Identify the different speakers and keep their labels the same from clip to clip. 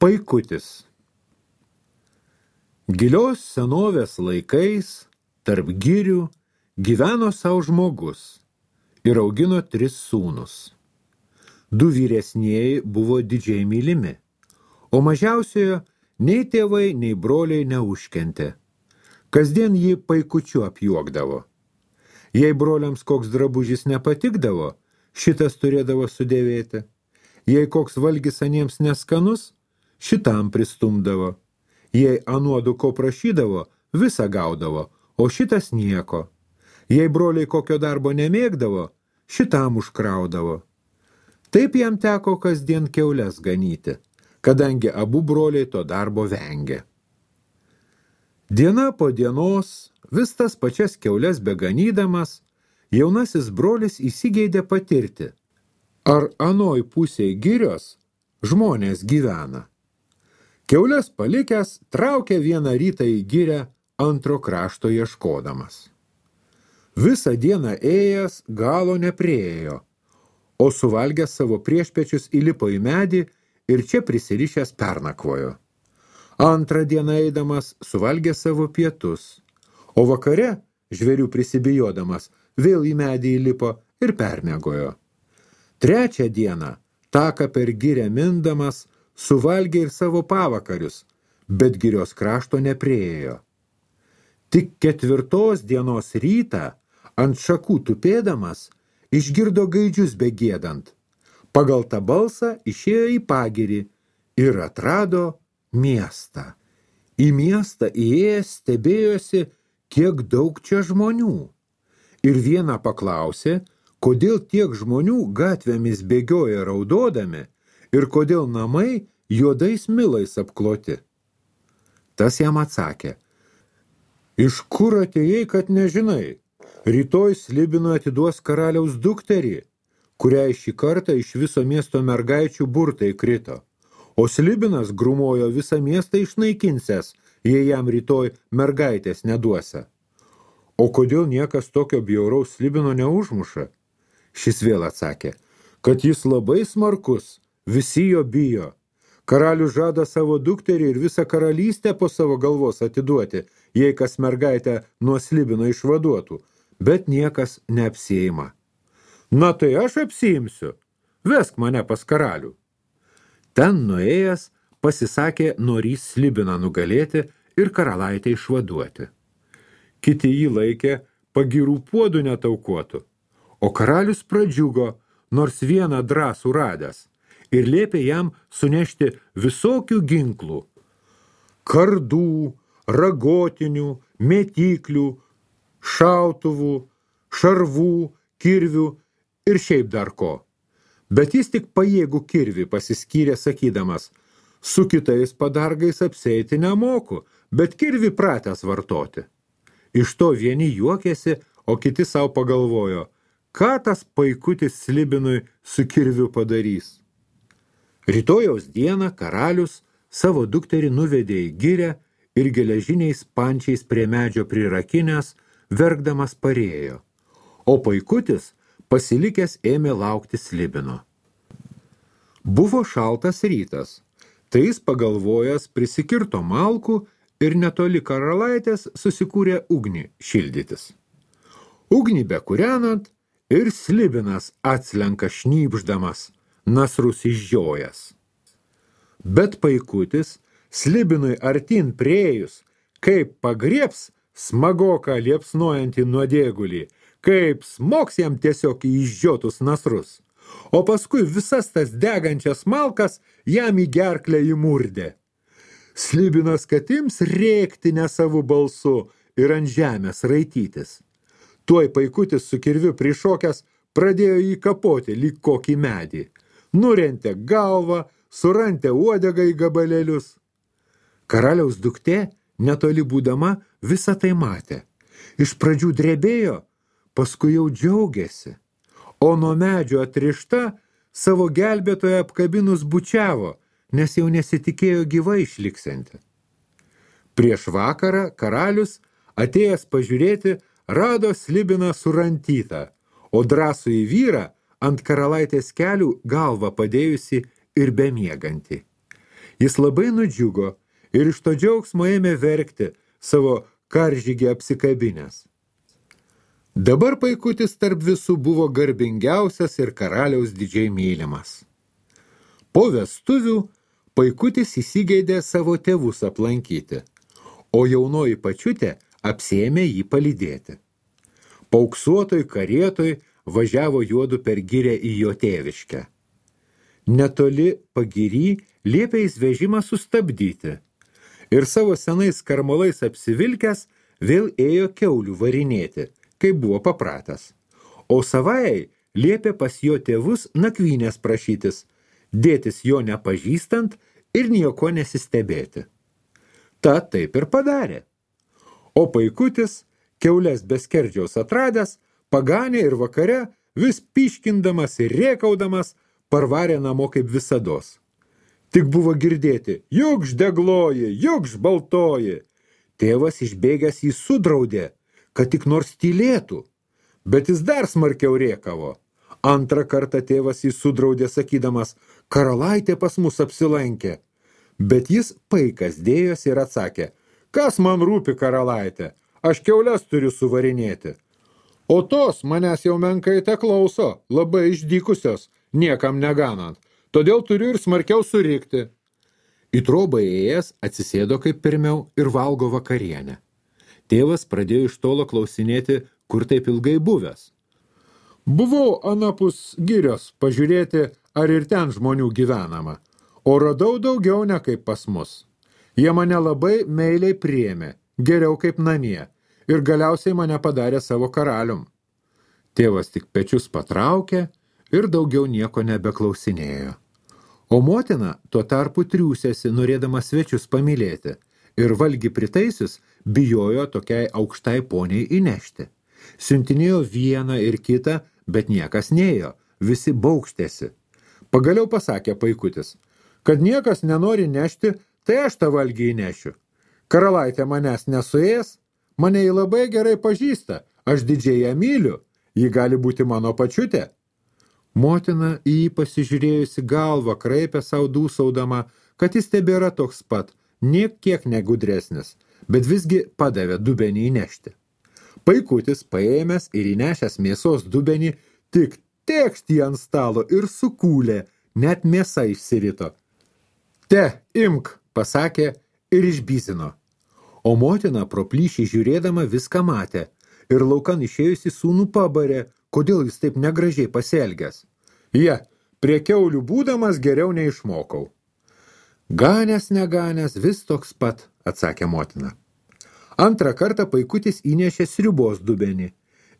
Speaker 1: Paikutis. Gilios senovės laikais tarp girių gyveno savo žmogus ir augino 3 sūnus. 2 vyresnieji buvo didžiai mylimi, o mažiausiojo nei tėvai, nei broliai neužkentė. Kasdien jį paikučiu apjuokdavo. Jei broliams koks drabužis nepatikdavo, šitas turėdavo sudėvėti. Jei koks valgis aniems neskanus, šitam pristumdavo. Jei anuodu ko prašydavo, visą gaudavo, o šitas nieko. Jei broliai kokio darbo nemėgdavo, šitam užkraudavo. Taip jam teko kasdien kiaules ganyti, kadangi abu broliai to darbo vengė. Diena po dienos, vis tas pačias kiaules beganydamas, jaunasis brolis įsigeidė patirti, ar anoj pusėj girios žmonės gyvena. Kiaules palikęs traukė vieną rytą į girę antro krašto ieškodamas. Visą dieną ėjęs galo nepriėjo, o suvalgęs savo priešpečius įlipo į medį ir čia prisirišęs pernakvojo. Antrą dieną eidamas suvalgė savo pietus, o vakare, žvėrių prisibijodamas, vėl į medį įlipo ir permiegojo. Trečią dieną, taką per girę mindamas, suvalgė ir savo pavakarius, bet girios krašto nepriėjo. Tik 4 dienos rytą, ant šakų tupėdamas, išgirdo gaidžius begėdant. Pagal tą balsą išėjo į pagirį ir atrado miestą. Į miestą įėjęs stebėjosi, kiek daug čia žmonių. Ir vieną paklausė, kodėl tiek žmonių gatvėmis bėgioja raudodami ir kodėl namai juodais milais apkloti. Tas jam atsakė, iš kur atėjai, kad nežinai? Rytoj Slibinui atiduos karaliaus dukterį, kuriai šį kartą iš viso miesto mergaičių burtai krito. O Slibinas grumojo visą miestą išnaikinsęs, jei jam rytoj mergaitės neduosia. O kodėl niekas tokio bjauraus Slibino neužmuša? Šis vėl atsakė, kad jis labai smarkus, visi jo bijo. Karalius žada savo dukterį ir visą karalystę po savo galvos atiduoti, jei kas mergaitę nuo Slibino išvaduotų, bet niekas neapsiima. Na tai aš apsiimsiu, vesk mane pas karalių. Ten nuėjęs pasisakė norys Slibiną nugalėti ir karalaitę išvaduoti. Kiti jį laikė pagirų puodų netaukuotų, o karalius pradžiugo, nors vieną drąsų radęs, ir liepė jam sunešti visokių ginklų, kardų, ragotinių, mėtyklių, šautuvų, šarvų, kirvių ir šiaip dar ko. Bet jis tik pajėgų kirvį pasiskyrė sakydamas, su kitais padargais apsieiti nemoku, bet kirvį pratęs vartoti. Iš to vieni juokėsi, o kiti savo pagalvojo, ką tas paikutis Slibinui su kirviu padarys. Rytojaus dieną karalius savo dukterį nuvedė į girę ir geležiniais pančiais prie medžio prirakinęs, verkdamas parėjo, o paikutis pasilikęs ėmė laukti Slibino. Buvo šaltas rytas, tai jis pagalvojęs prisikirto malkų ir netoli karalaitės susikūrė ugnį šildytis. Ugnį bekūrenant ir Slibinas atslenka šnypšdamas, nasrus išžiojęs. Bet paikutis Slibinui artin priėjus, kaip pagriebs smagoką liepsnojantį nuodėgulį, kaip smoks jam tiesiog į išžiotus nasrus, o paskui visas tas degančias malkas jam į gerklę įmurdė. Slibinas katims rėkti nesavų balsu ir ant žemės raitytis. Tuoj paikutis su kirviu prišokęs pradėjo jį kapoti lyg kokį medį. Nurentė galvą, surantė uodegą į gabalėlius. Karaliaus duktė, netoli būdama, visą tai matė. Iš pradžių drebėjo, paskui jau džiaugėsi, o nuo medžio atrišta savo gelbėtoją apkabinus bučiavo, nes jau nesitikėjo gyvai išliksianti. Prieš vakarą karalius, atėjęs pažiūrėti, rado Slibiną surantytą, o drąsų į vyrą ant karalaitės kelių galvą padėjusi ir bemiegantį. Jis labai nudžiugo ir iš to džiaugsmo ėmė verkti savo karžygį apsikabinęs. Dabar Paikutis tarp visų buvo garbingiausias ir karaliaus didžiai mylimas. Po vestuvių Paikutis įsigeidė savo tėvus aplankyti, o jaunoji Pačiutė apsėmė jį palydėti. Pauksuotoj karietoj važiavo juodu per girę į jo tėviškę. Netoli pagiry liepė jis vežimą sustabdyti ir savo senais karmalais apsivilkęs vėl ėjo kiaulių varinėti, kaip buvo papratęs. O savai liepė pas jo tėvus nakvynės prašytis, dėtis jo nepažįstant ir nieko nesistebėti. Ta taip ir padarė. O Paikutis, kiaulės be skerdžiaus atradęs, paganė ir vakare, vis pyškindamas ir rėkaudamas, parvarė namo kaip visados. Tik buvo girdėti, jukš degloji, jukš baltoji. Tėvas išbėgęs jį sudraudė, kad tik nors tylėtų, bet jis dar smarkiau rėkavo. Antrą kartą tėvas jį sudraudė, sakydamas, karalaitė pas mus apsilankė. Bet jis paikas dėjos ir atsakė, kas man rūpi karalaitė, aš kiaules turiu suvarinėti. O tos manęs jau menkai te klauso, labai išdykusios, niekam neganant, todėl turiu ir smarkiau surikti. Į trobą ėjęs atsisėdo kaip pirmiau ir valgo vakarienę. Tėvas pradėjo iš tolo klausinėti, kur taip ilgai buvęs. Buvau anapus girios pažiūrėti, ar ir ten žmonių gyvenama, o radau daugiau ne kaip pas mus. Jie mane labai meiliai priėmė, geriau kaip namie, ir galiausiai mane padarė savo karalium. Tėvas tik pečius patraukė ir daugiau nieko nebeklausinėjo. O motina tuo tarpu triūsėsi, norėdama svečius pamylėti, ir valgi pritaisius bijojo tokiai aukštai poniai įnešti. Siuntinėjo vieną ir kitą, bet niekas neėjo, visi baukštėsi. Pagaliau pasakė Paikutis, kad niekas nenori nešti, tai aš tą valgį įnešiu. Karalaitė manęs nesuės, mane jį labai gerai pažįsta, aš didžiai ją myliu, ji gali būti mano Pačiutė. Motina į jį pasižiūrėjusi galvą kraipė savo dūsaudama, kad jis tebėra toks pat, niek kiek negudresnis, bet visgi padavė dubenį įnešti. Paikutis paėmęs ir įnešęs mėsos dubenį, tik tėkšt jį ant stalo ir sukūlė, net mėsa išsirito. Te, imk, pasakė ir išbyzino. O motina pro plyšį žiūrėdama viską matė ir laukan išėjusi sūnų pabarė, kodėl jis taip negražiai pasielgęs. Prie kiaulių būdamas geriau neišmokau. Ganęs neganęs vis toks pat, atsakė motina. Antrą kartą Paikutis įnešė sriubos dubenį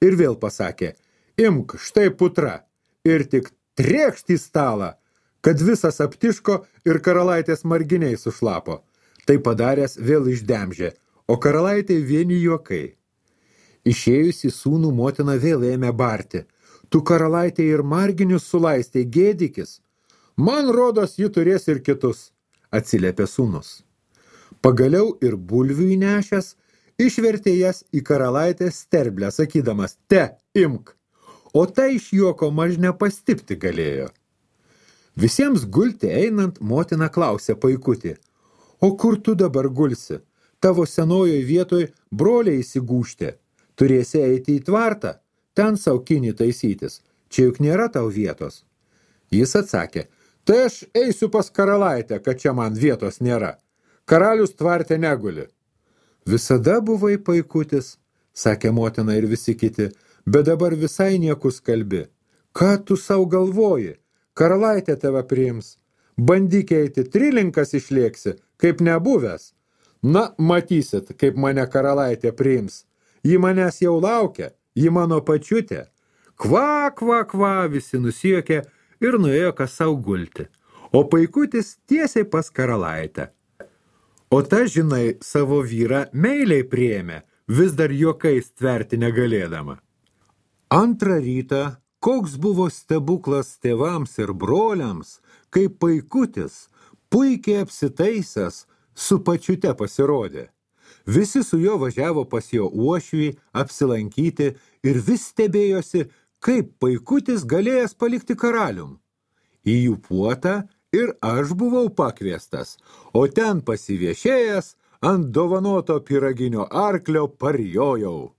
Speaker 1: ir vėl pasakė, imk, štai putra, ir tik trėkšt į stalą, kad visas aptiško ir karalaitės marginiai sušlapo. Tai padaręs vėl išdemžė, o karalaitė vieni juokai. Išėjusi sūnų motina vėl ėmė barti. Tu karalaitė ir marginius sulaistė, gėdikis. Man rodos, ji turės ir kitus, atsiliepė sūnus. Pagaliau ir bulvių įnešęs, išvertė jas į karalaitės sterblę, sakydamas, te, imk. O tai iš juoko maž nepastipti galėjo. Visiems gulti einant, motina klausė Paikutį, o kur tu dabar gulsi? Tavo senojoj vietoj broliai įsigūžtė. Turėsi eiti į tvartą, ten saukinį taisytis, čia juk nėra tau vietos. Jis atsakė, tai aš eisiu pas karalaitę, kad čia man vietos nėra. Karalius tvarte neguli. Visada buvai Paikutis, sakė motina ir visi kiti, bet dabar visai niekus kalbi. Ką tu sau galvoji? Karalaitė tave priims. Bandyk eiti, trilinkas išlėksi, kaip nebuvęs. Na, matysit, kaip mane karalaitė priims. Ji manęs jau laukia, ji mano Pačiutė. Kva, kva, kva, visi nusijuokė ir nuėjo kas sau gulti. O Paikutis tiesiai pas karalaitę. O ta, žinai, savo vyrą meiliai priėmė, vis dar juokais tverti negalėdama. Antrą rytą, koks buvo stebuklas tėvams ir broliams, kai Paikutis, puikiai apsitaisęs, su Pačiute pasirodė. Visi su juo važiavo pas jo uošvį apsilankyti ir vis stebėjosi, kaip Paikutis galėjęs palikti karalium. Į jų puotą Ir aš buvau pakviestas, o ten pasiviešėjęs ant dovanoto pyraginio arklio parjojau.